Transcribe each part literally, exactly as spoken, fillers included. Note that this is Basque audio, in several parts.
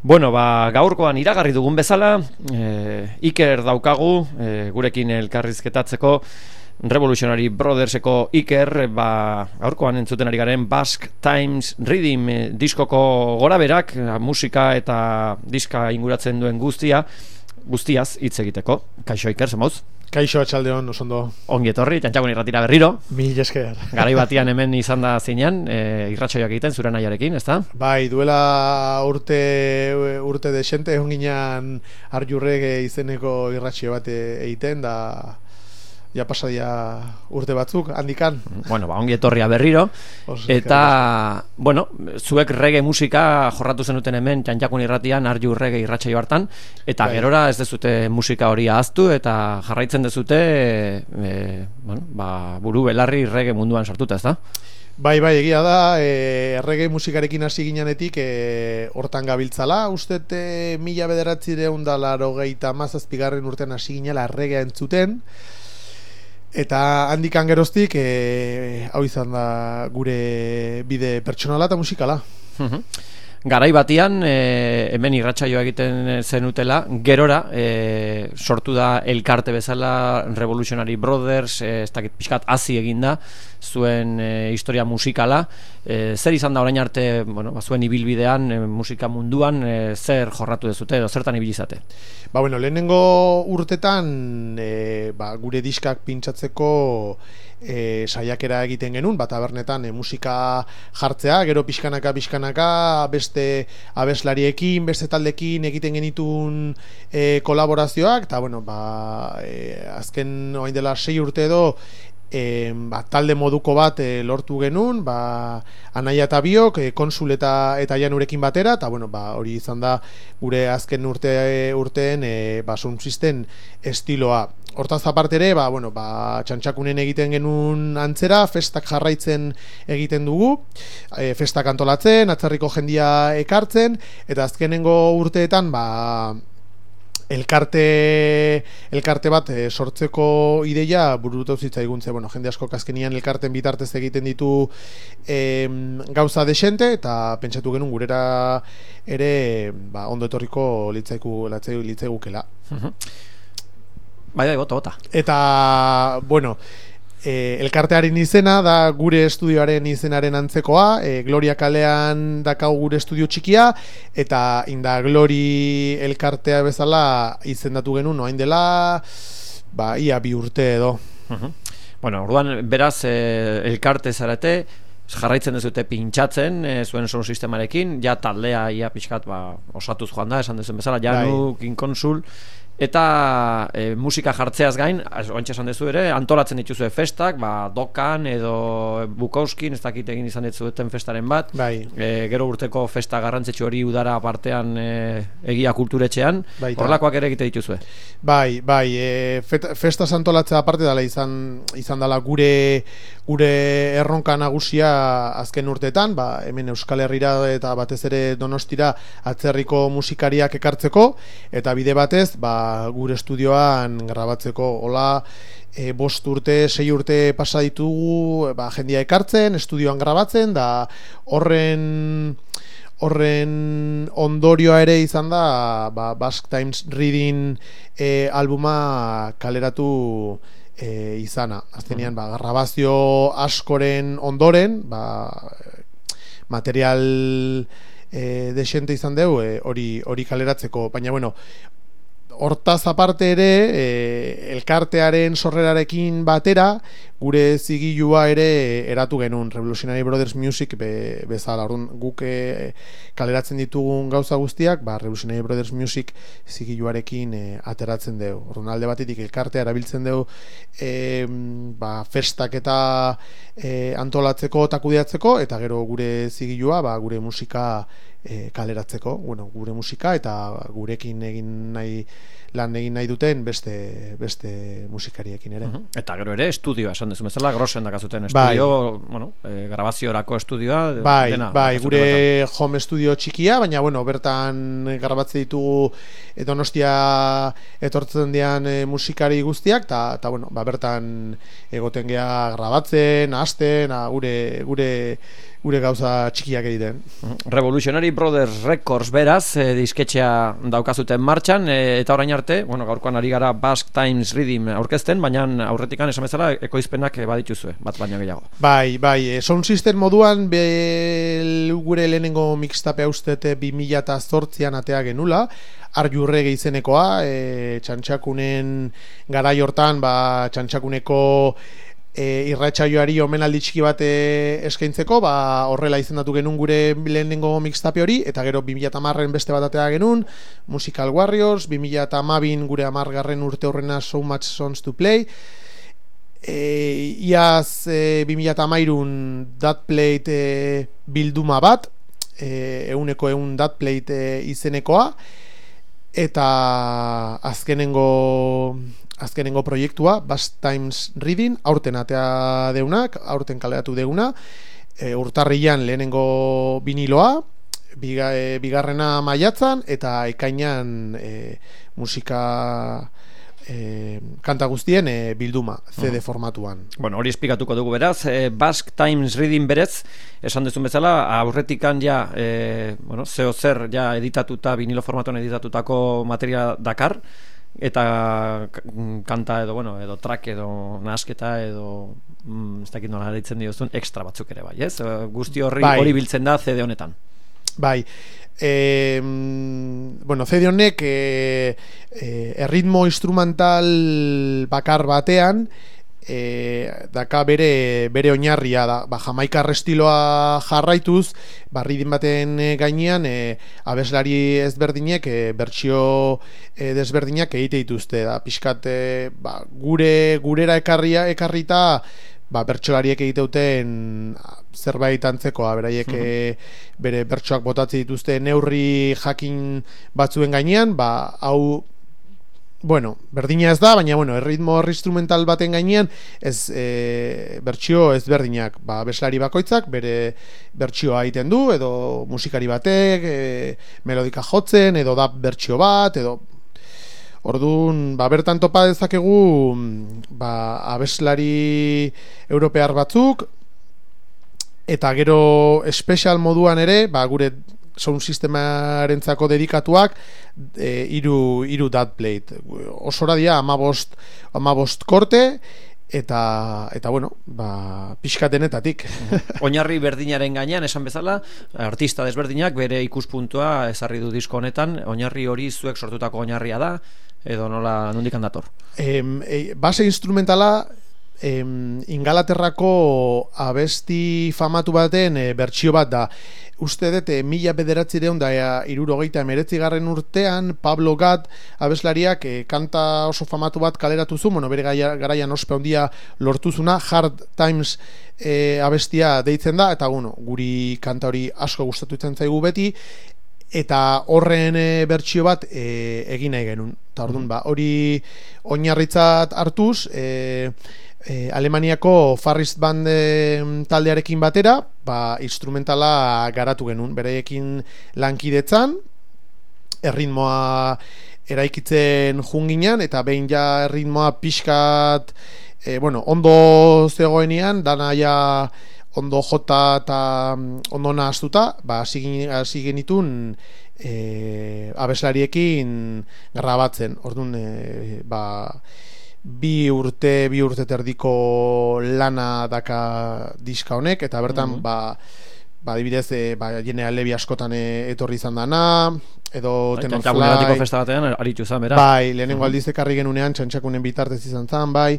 Bueno, ba, gaurkoan iragarri dugun bezala, e, Iker daukagu, e, gurekin elkarrizketatzeko, Revolutionary Brotherseko Iker, ba, gaurkoan entzuten ari garen Basque Times Rhythm e, diskoko goraberak, musika eta diska inguratzen duen guztia, guztiaz hitz egiteko. Kaixo Iker, zemoz? Kaixo, atxaldeon, osondo. Ongi etorri, txantxakun irratira berriro. Mil esker. Garai batian hemen izan da zinean, e, irratsaioak egiten, zure nahiarekin, ezta? Bai, duela urte urte desente, egon ginean Arjurrege izeneko irratsaio bat egiten, da ja pasadia urte batzuk, handikan. Bueno, ba, ongi etorria berriro. Os, eta, bueno, zuek reggae musika jorratu zenuten hemen txantxakun irratian, Arju reggae irratsaio hartan, eta bai, gerora ez dezute musika hori ahaztu, eta jarraitzen dezute e, bueno, ba, buru belarri reggae munduan sartuta, ez da? Bai, bai, egia da, e, reggae musikarekin hasi ginenetik e, hortan gabiltzala, uste e, mila bederatzireun da laurogeita hamazazpigarren urtean hasi ginela reggae entzuten, eta handikan geroztik e, hau izan da gure bide pertsonala eta musikala. Garai batian, e, hemen irratsaioa egiten zenutela, gerora e, sortu da elkarte bezala Revolutionary Brothers, e, ez dakit pixkat hazi eginda, zuen e, historia musikala. E, zer izan da orain arte, bueno, zuen ibilbidean, e, musika munduan, e, zer jorratu dezute edo zertan ibilizate? Ba, bueno, lehenengo urtetan e, ba, gure diskak pintsatzeko E, saiakera egiten genuen, bat tabernetan e, musika jartzea, gero pixkanaka pixkanaka beste abeslariekin, beste taldekin egiten genitun e, kolaborazioak, eta bueno, ba, e, azken orain dela sei urte edo E, ba, talde moduko bat e, lortu genuen, ba, Anaia eta biok, e, Konsul eta, eta Janurekin batera, eta bueno, ba, hori izan da gure azken urte, urteen e, ba, sound system estiloa. Hortaz aparte ere, ba, bueno, ba, txantxakunen egiten genuen antzera, festak jarraitzen egiten dugu, e, festak antolatzen, atzerriko jendia ekartzen, eta azkenengo urteetan, ba, elkarte elkarte bat e, sortzeko ideia burutu zitzaigun, ze bueno, jende asko azkenian elkarten bitartez egiten ditu e, gauza desente, eta pentsatu genuen gurera ere ba, ondo etorriko litzaiku litzaigukela. Bai, bai, bota, bota. Eta, bueno, E, elkartearen izena da gure estudioaren izenaren antzekoa, e, Gloria kalean dakau gure estudio txikia, eta inda Glori elkartea bezala izendatu genuen orain dela ba, ia bi urte edo. Uh-huh. Bueno, orduan beraz e, elkarte zarete, jarraitzen dezute pintxatzen e, zuen sound sistemarekin, ja taldea ia pixkat ba, osatuz joan da, esan dezuen bezala, Janu, King Konsul, eta e, musika jartzeaz gain, oantxe esan dezu ere, antolatzen dituzue festak, ba, Dokan edo Bukowskin, ez dakit egin izan dituzuten festaren bat, bai. e, gero urteko festa garrantzitsu hori udara partean e, egia kulturetxean, horrelakoak ere egite dituzue. Bai, bai, e, festaz antolatzea aparte dala izan, izan dala gure gure erronka nagusia azken urteetan, ba, hemen Euskal Herrira eta batez ere Donostira atzerriko musikariak ekartzeko, eta bide batez, ba, gure estudioan grabatzeko. Hola, e, bost urte, sei urte pasa ditugu, ba, jendia ekartzen, estudioan grabatzen, da horren horren ondorioa ere izan da ba, Basque Times Reading e, albuma kaleratu e, izana. Azkenean, ba, grabazio askoren ondoren, ba, material e, desente izan dugu hori e, hori kaleratzeko, baina bueno, hortaz aparte ere, e, elkartearen sorrerarekin batera, gure zigilua ere eratu genuen, Revolutionary Brothers Music be, bezala. Orduan, guk e, kaleratzen ditugun gauza guztiak, ba, Revolutionary Brothers Music zigiluarekin e, ateratzen dugu. Orduan, alde batetik elkartea erabiltzen dugu e, ba, festak eta e, antolatzeko eta kudeatzeko, eta gero gure zigilua, ba, gure musika E, kaleratzeko, bueno, gure musika eta gurekin egin nahi lan egin nahi duten beste beste musikariekin ere. Uh-huh. Eta gero ere estudioa, esan dezu bezala, Grossen dakazuten estudio, bai. Bueno, e, grabaziorako estudioa, bai, dena. Bai, gure bertan. Home studio txikia, baina bueno, bertan grabatze ditugu Donostia etortzen dian e, musikari guztiak, eta ta, bueno, ba, bertan egoten gea grabatzen, hasten, gure gure gure gauza txikiak egiten. Revolutionary Brothers Records beraz, e, disketxea daukazuten martxan, e, eta orain arte, bueno, gaurkoan ari gara Basque Times Rhythm aurkezten, baina aurretikan esan bezala ekoizpenak badituzue, bat baino gehiago. Bai, bai, e, Sound System moduan be, gure lehenengo mixtape ustete bi mila zortzian atea genula, Arjurrege izenekoa, e, txantxakunen garai hortan, ba, txantxakuneko E, irratsaioari omenaldi txiki bat e, eskaintzeko, ba, horrela izendatu genuen gure lehenengo mixtape hori, eta gero bi mila hamarren beste bat atea genuen, Musical Warriors, bi mila hamabin gure hamargarren urte horrena So Much Songs to Play, e, iaz e, bi mila hamairun That Plate e, bilduma bat, e, euneko eun That Plate e, izenekoa, eta azkenengo azkenengo proiektua Basque Times Reading, aurten atea deunak, aurten kaleratu deuna, e, urtarrian lehenengo viniloa, biga, e, bigarrena maiatzan, eta ekainan e, musika e, kanta guztien e, bilduma, C D formatuan. Bueno, hori esplikatuko dugu beraz, e, Basque Times Reading berez, esan dezun bezala, aurretikan ja, e, bueno, zeo zer ja editatuta, vinilo formatuan editatutako materia dakar, eta kanta edo, bueno, edo track edo nasketa edo mm, ez dakit nola ditzen diozun, extra batzuk ere bai, ez? Guzti horri bai. Hori biltzen da C D honetan. Bai, e, bueno, C D honek e, e, erritmo instrumental bakar batean e, daka bere, bere oinarria da, ba, jamaikar estiloa jarraituz, barridin baten gainean e, abeslari ezberdinek e, bertsio e, desberdinak egite dituzte da, pixkat e, ba, gure gurera ekarria ekarrita ba, bertsolariek egiteuten zerbait antzekoa, beraiek mm-hmm. bere bertsoak botatze dituzte neurri jakin batzuen gainean, ba, hau bueno, berdina ez da, baina bueno, erritmo instrumental baten gainean ez e, bertsio ezberdinak, ba, abeslari bakoitzak bere bertsioa egiten du, edo musikari batek e, melodika jotzen, edo da bertsio bat, edo orduan, ba, bertan topa dezakegu ba, abeslari europear batzuk, eta gero espezial moduan ere, ba, gure sound sistemarentzako dedikatuak e, iru, iru That Plate. Osora dira amabost, amabost korte, eta, eta bueno, ba, pixkatenetatik. Oinarri berdinaren gainean, esan bezala, artista desberdinak bere ikuspuntua ezarri du disko honetan, oinarri hori zuek sortutako oinarria da, edo nola nondik handator? E, e, base instrumentala em, Ingalaterrako abesti famatu baten e, bertsio bat da. Uste dut, e, mila bederatzireun da irurogeita emeretzigarren urtean Pablo Gat abeslariak e, kanta oso famatu bat kaleratu zu, bueno, bere garaian ospe handia lortuzuna, Hard Times e, abestia deitzen da, eta bueno, guri kanta hori asko gustatu itzen zaigu beti, eta horren e, bertsio bat e, egin nahi genuen. Eta orduan, ba, hori oinarritzat hartuz, e, e, Alemaniako Farrist Band e, taldearekin batera, ba, instrumentala garatu genuen, bereiekin lankidetzan, erritmoa eraikitzen junginan, eta behin ja erritmoa pixkat, e, bueno, ondo zegoenean, dana ja ondo jota eta ondo nahaztuta, ba, hasi genitun e, abeslariekin grabatzen. Orduan, e, ba, bi urte, bi urte terdiko lana daka diska honek, eta bertan, mm-hmm. ba, ba, dibidez, e, ba, Jenea Levi askotan e, etorri izan dana, edo Tenor Fly. Festa batean, aritu izan, bera. Bai, lehenengo mm-hmm. aldiz ekarri genunean, txantxakunen bitartez izan zan, bai.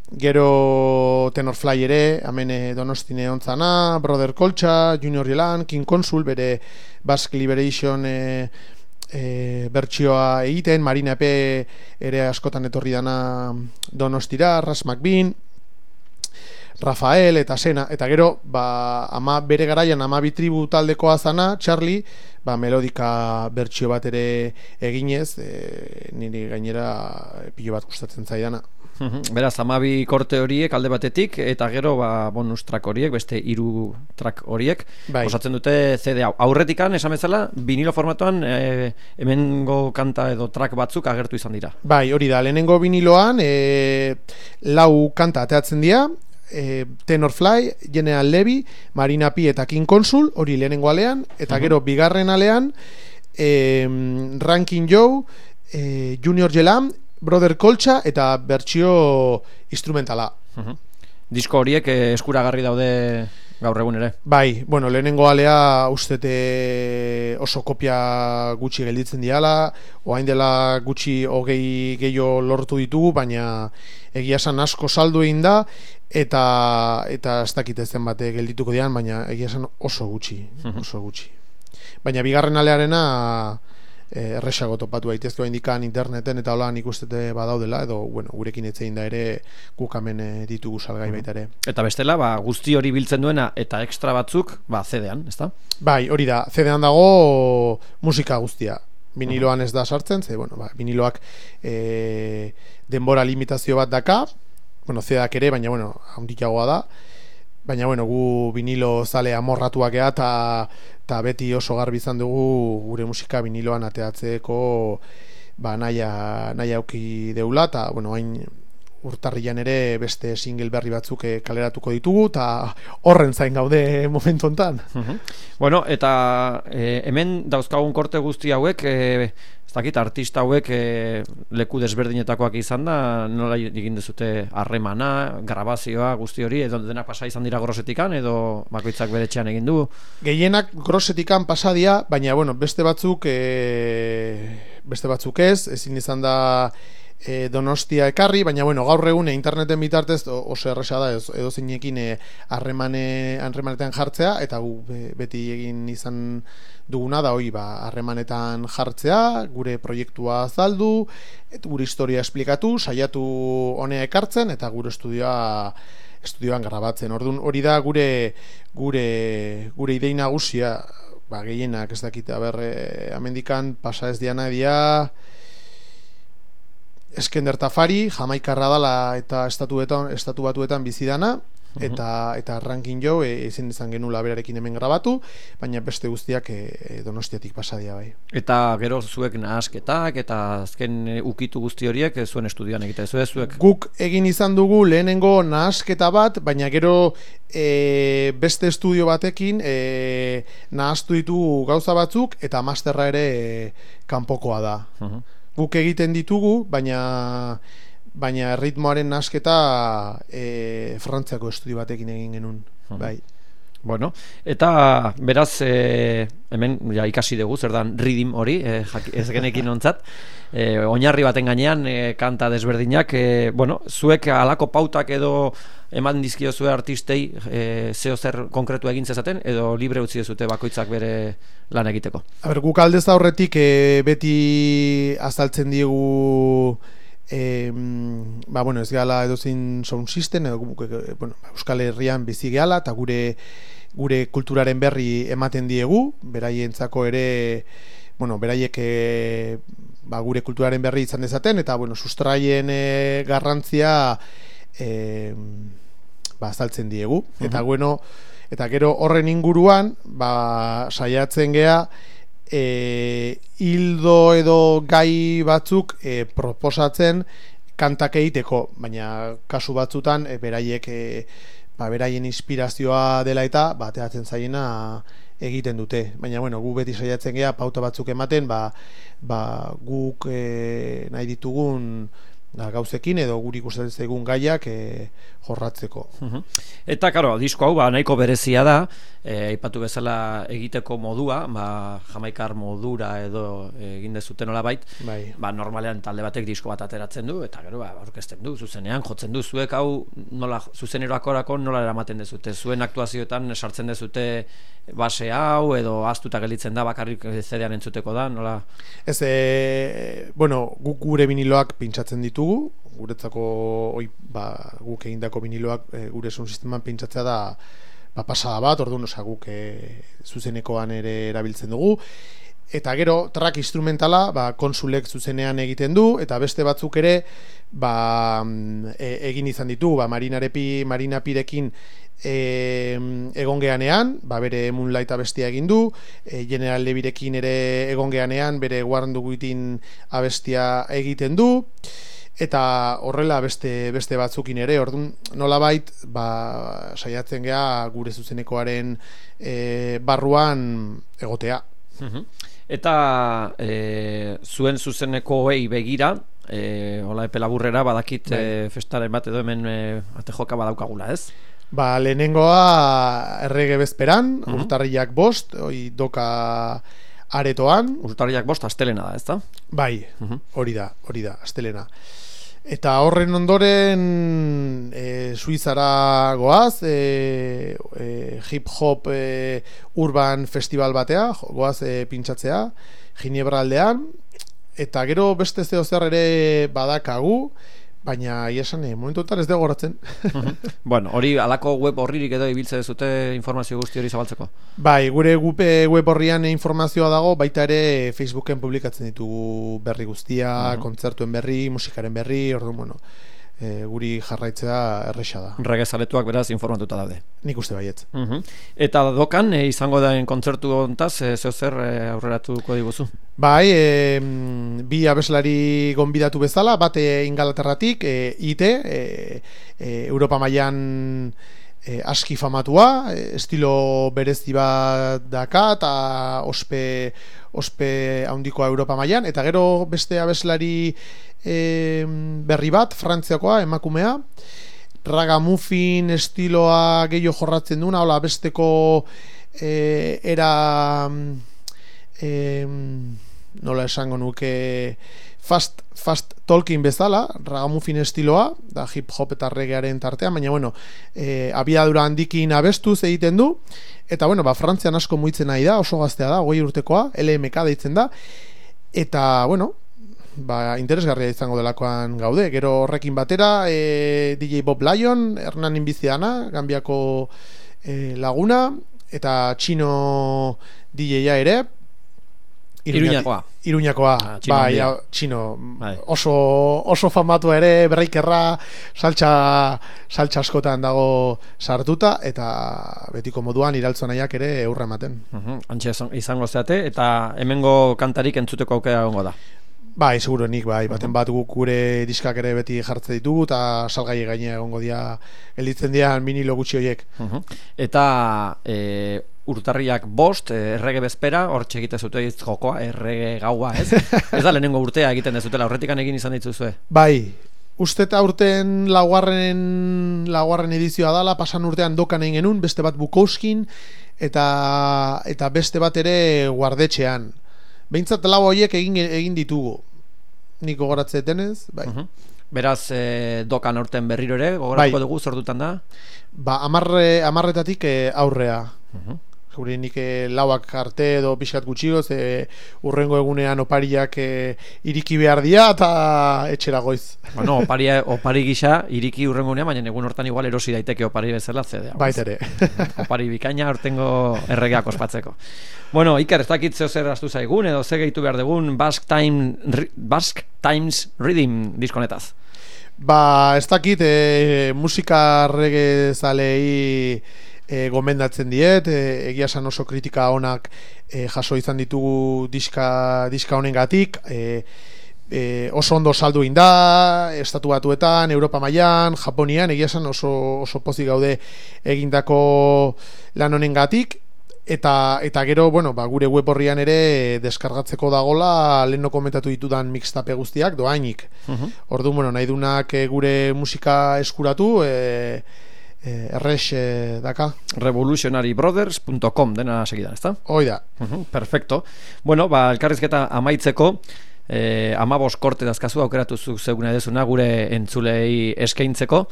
Gero Tenor Fly ere, hemen Donostine ontzana, Brother Koltxa, Junior Yelan, King Consul, bere Basque Liberation e, e, bertsioa egiten, Marina Epe ere askotan etorri dana Donostira, Ras McBean, Rafael eta Sena, eta gero ba, ama, bere garaian amabi tribu taldekoa zana, Charlie, ba, melodika bertsio bat ere eginez, e, niri gainera pilo bat gustatzen zaidana. Beraz, amabi korte horiek alde batetik, eta gero ba, bonus track horiek, beste hiru track horiek, bai. Osatzen dute C D hau. Aurretikan, esan bezala, vinilo formatuan e, hemengo kanta edo track batzuk agertu izan dira. Bai, hori da, lehenengo viniloan e, lau kanta ateatzen dira, e, Tenorfly, General Levy, Marina Pi eta King Consul, hori lehenengo alean, eta gero bigarren alean e, Ranking Joe, e, Junior Jelam, Brother Colcha eta bertsio instrumentala. Uh-huh. Disko horiek eh, eskuragarri daude gaur egun ere. Bai, bueno, lehenengo alea ustete oso kopia gutxi gelditzen diala, orain dela gutxi hogei gehiago lortu ditugu, baina egia esan asko saldu egin da, eta eta ez dakit ez zenbat geldituko dian, baina egia esan oso gutxi, oso gutxi. Baina bigarren alearena erresago topatu daitezke indikan interneten eta hola nik ustete badaudela, edo bueno, gurekin etzein da ere guk hemen ditugu salgai baita ere. Eta bestela, ba, guzti hori biltzen duena eta extra batzuk, ba, C D-an, ezta? Bai, hori da, C D-an dago musika guztia. Viniloan ez da sartzen, ze, bueno, ba, viniloak e, denbora limitazio bat daka, bueno, C D-ak ere, baina, bueno, handiagoa da, baina, bueno, gu vinilo zale amorratuak ea, eta eta beti oso garbi izan dugu gure musika viniloan ateatzeko ba, naia, naia auki deula, eta, bueno, hain urtarrian ere beste single berri batzuk kaleratuko ditugu, eta horren zain gaude momentu hontan. Uh-huh. Bueno, eta e, hemen dauzkagun korte guzti hauek, e, ez dakit, artista hauek e, leku desberdinetakoak izan da, nola egin dezute harremana, grabazioa, guzti hori, edo dena pasa izan dira Grosetikan, edo bakoitzak bere etxean egin du? Gehienak Grosetikan pasadia, baina, bueno, beste batzuk e, beste batzuk ez, ezin izan da E, Donostia ekarri, baina bueno, gaur egun interneten bitartez oso erresa da edo zeinekin harremane harremanetan jartzea, eta gu beti egin izan duguna da hori, ba, harremanetan jartzea, gure proiektua azaldu, et, gure historia esplikatu, saiatu honea ekartzen, eta gure estudioa estudioan grabatzen. Orduan hori da gure gure gure idei nagusia, ba, gehienak ez dakit, aber, amendikan pasa ez diana dia Eskender Tafari, Jamaikarra dala eta estatuetan, estatu batuetan bizidana, eta, eta Ranking Joe ezin izan genula berarekin hemen grabatu, baina beste guztiak e, Donostiatik pasadia bai. Eta gero zuek nahasketak eta azken e, ukitu guzti horiek e, zuen estudioan egite, zuek zuek? Guk egin izan dugu lehenengo nahasketa bat, baina gero e, beste estudio batekin e, nahastu ditugu gauza batzuk, eta masterra ere e, kanpokoa da. Uh-huh. Guk egiten ditugu, baina baina ritmoaren nasketa e, Frantziako estudio batekin egin genuen, uh-huh. Bai. Bueno, eta beraz e, hemen ja, ikasi dugu, zer dan ridim hori, e, ez genekin ontzat, e, oinarri baten gainean e, kanta desberdinak, e, bueno, zuek alako pautak edo eman dizkio zue artistei e, zeo zer konkretu egin zezaten, edo libre utzi zute bakoitzak bere lan egiteko? A ber, guk aldez aurretik e, beti azaltzen diegu e, ba, bueno, ez gala edozein sound system, edo, e, bueno, Euskal Herrian bizi gehala, eta gure gure kulturaren berri ematen diegu, beraientzako ere, bueno, beraiek e, ba, gure kulturaren berri izan dezaten, eta, bueno, sustraien e, garrantzia e, ba, azaltzen diegu. Uh-huh. Eta, bueno, eta gero horren inguruan, ba, saiatzen gea, e, hildo edo gai batzuk e, proposatzen kantak egiteko, baina kasu batzutan e, beraiek e, ba, beraien inspirazioa dela eta bateatzen zaiena egiten dute, baina bueno, gu beti saiatzen gea pauta batzuk ematen, ba, ba guk e, nahi ditugun da, gauzekin edo guri ikusten zaigun gaiak e, jorratzeko. Uh-huh. Eta karo, disko hau ba, nahiko berezia da, e, aipatu bezala egiteko modua, ba, jamaikar modura edo egin dezuten nolabait, bai. Ba, normalean talde batek disko bat ateratzen du, eta gero ba, aurkezten du, zuzenean, jotzen du, zuek hau nola, zuzeneroakorako nola eramaten dezute, zuen aktuazioetan sartzen dezute base hau, edo ahaztuta gelditzen da, bakarrik C D-an entzuteko da, nola? Ez, e, bueno, guk gure viniloak pintsatzen ditugu, guretzako oi, ba, guk egindako viniloak e, gure sound sisteman pintsatzea da ba, pasada bat, orduan osa guk e, zuzenekoan ere erabiltzen dugu, eta gero track instrumentala ba, konsulek zuzenean egiten du, eta beste batzuk ere ba, e, egin izan ditugu, ba, Marinarepi, Marinapirekin e, egon geanean, ba, bere Moonlight abestia egin du, e, General Levirekin ere egon geanean, bere Warn Duguitin abestia egiten du, eta horrela beste beste batzukin ere, orduan nolabait ba, saiatzen gea gure zuzenekoaren e, barruan egotea. Eta e, zuen zuzenekoei begira, e, hola epe laburrera badakit e, festaren bat edo hemen e, ate joka badaukagula, ez? Ba, lehenengoa errege bezperan, uh-huh. urtarriak bost, oi doka aretoan. Urtarriak bost, astelena da, ez da? Bai, uh-huh. hori da, hori da, astelena. Eta horren ondoren e, Suizara goaz, e, e, hip-hop e, urban festival batea, goaz e, pintxatzea, Ginebra aldean, eta gero beste zeo zer ere badakagu, baina iesan, e, momentuetan ez dugu goratzen. Bueno, hori alako web horririk edo ibiltze dezute informazio guzti hori zabaltzeko? Bai, gure web horrian informazioa dago, baita ere Facebooken publikatzen ditugu berri guztia, uh-huh. kontzertuen berri, musikaren berri, orduan, bueno, e, guri jarraitzea erresa da. Regezaletuak beraz informatuta daude. Nik uste baietz. Uh-huh. Eta dokan, e, izango daen kontzertu hontaz, e, zeo zer e, aurreratuko diguzu? Bai, e, bi abeslari gonbidatu bezala, bate Ingalaterratik, e, I T, e, e, Europa mailan e, aski famatua, e, estilo berezi bat daka, eta ospe, ospe handikoa Europa mailan, eta gero beste abeslari e, berri bat, Frantziakoa, emakumea, ragamuffin estiloa gehiago jorratzen duna, hola besteko e, era... E, nola esango nuke fast, fast talking bezala, ragamuffin estiloa, da hip hop eta reggaearen tartean, baina bueno, e, abiadura handikin abestuz egiten du, eta bueno, ba, Frantzian asko muitzen nahi da, oso gaztea da, hogei urtekoa, L M K deitzen da, eta bueno, ba, interesgarria izango delakoan gaude, gero horrekin batera, e, D J Bob Lion, Hernan Inbiziana, Gambiako e, laguna, eta Txino D J-a ere, Iruñakoa. Iruñakoa, ah, txino, bai, ja, txino, oso, oso famatu ere, berreikerra, saltxa, saltxa askotan dago sartuta, eta betiko moduan iraltzo nahiak ere eurra ematen. Uh-huh. Antxe izango zeate, eta hemengo kantarik entzuteko aukera egongo da. Bai, seguro nik, bai, baten bat guk gure diskak ere beti jartze ditugu, eta salgai gainea egongo dia, gelditzen dian minilo gutxi horiek. Uh-huh. Eta... E... urtarriak bost, errege bezpera, hor txegite zute jokoa, errege gaua, ez? Ez da lehenengo urtea egiten dezutela, horretikan egin izan dituzue? Bai, uste eta urten laugarren, laugarren edizioa dala, pasan urtean dokan egin genuen, beste bat Bukowskin, eta, eta beste bat ere guardetxean. Behintzat lau horiek egin, egin ditugu. Nik gogoratzetenez, bai. Uh-huh. Beraz, e, dokan aurten berriro ere, gogoratuko bai. Dugu, zordutan da? Ba, amarre, amarretatik e, aurrea. Uh-huh. Gure nik e, lauak arte edo pixkat gutxigoz, e, urrengo egunean opariak e, iriki behar dia eta etxera goiz. Bueno, opari, opari gisa iriki urrengo egunean, baina egun hortan igual erosi daiteke opari bezala zedea. Baitere. Opari bikaina hortengo erregeak ospatzeko. Bueno, Iker, ez dakit zeo zer astu zaigun, edo ze gehitu behar dugun Basque, Time, Basque Times Rhythm diskonetaz. Ba, ez dakit, e, musika reggae zalei e, gomendatzen diet, e, egia esan oso kritika onak e, jaso izan ditugu diska, diska honengatik, e, e, oso ondo saldu inda, estatu batuetan, Europa mailan, Japonian, egia esan oso, oso pozik gaude egindako lan honengatik, eta, eta gero, bueno, ba, gure web horrian ere deskargatzeko dagola leheno komentatu ditudan mixtape guztiak doainik. Uh-huh. Ordu, bueno, nahi dunak e, gure musika eskuratu, e, e, errex e, daka. revolutionary brothers punto com dena segidan, ezta? Hoi da. Uh-huh, perfecto. Bueno, ba, elkarrizketa amaitzeko, eh, amabos korte dazkazu aukeratu zeuguna edezuna gure entzulei eskaintzeko,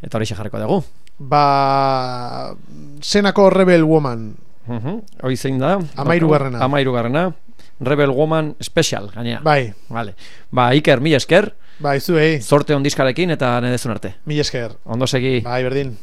eta hori jarriko dugu. Ba, Senako Rebel Woman. Uh-huh. Hoi zein da? Amairu garrena. Amairu garrena. Rebel Woman Special, gainea. Bai. Vale. Ba, Iker, mila esker. Bai, zuei. Zorte ondizkarekin eta nedezun arte. Mila esker. Ondo segi. Bai, berdin.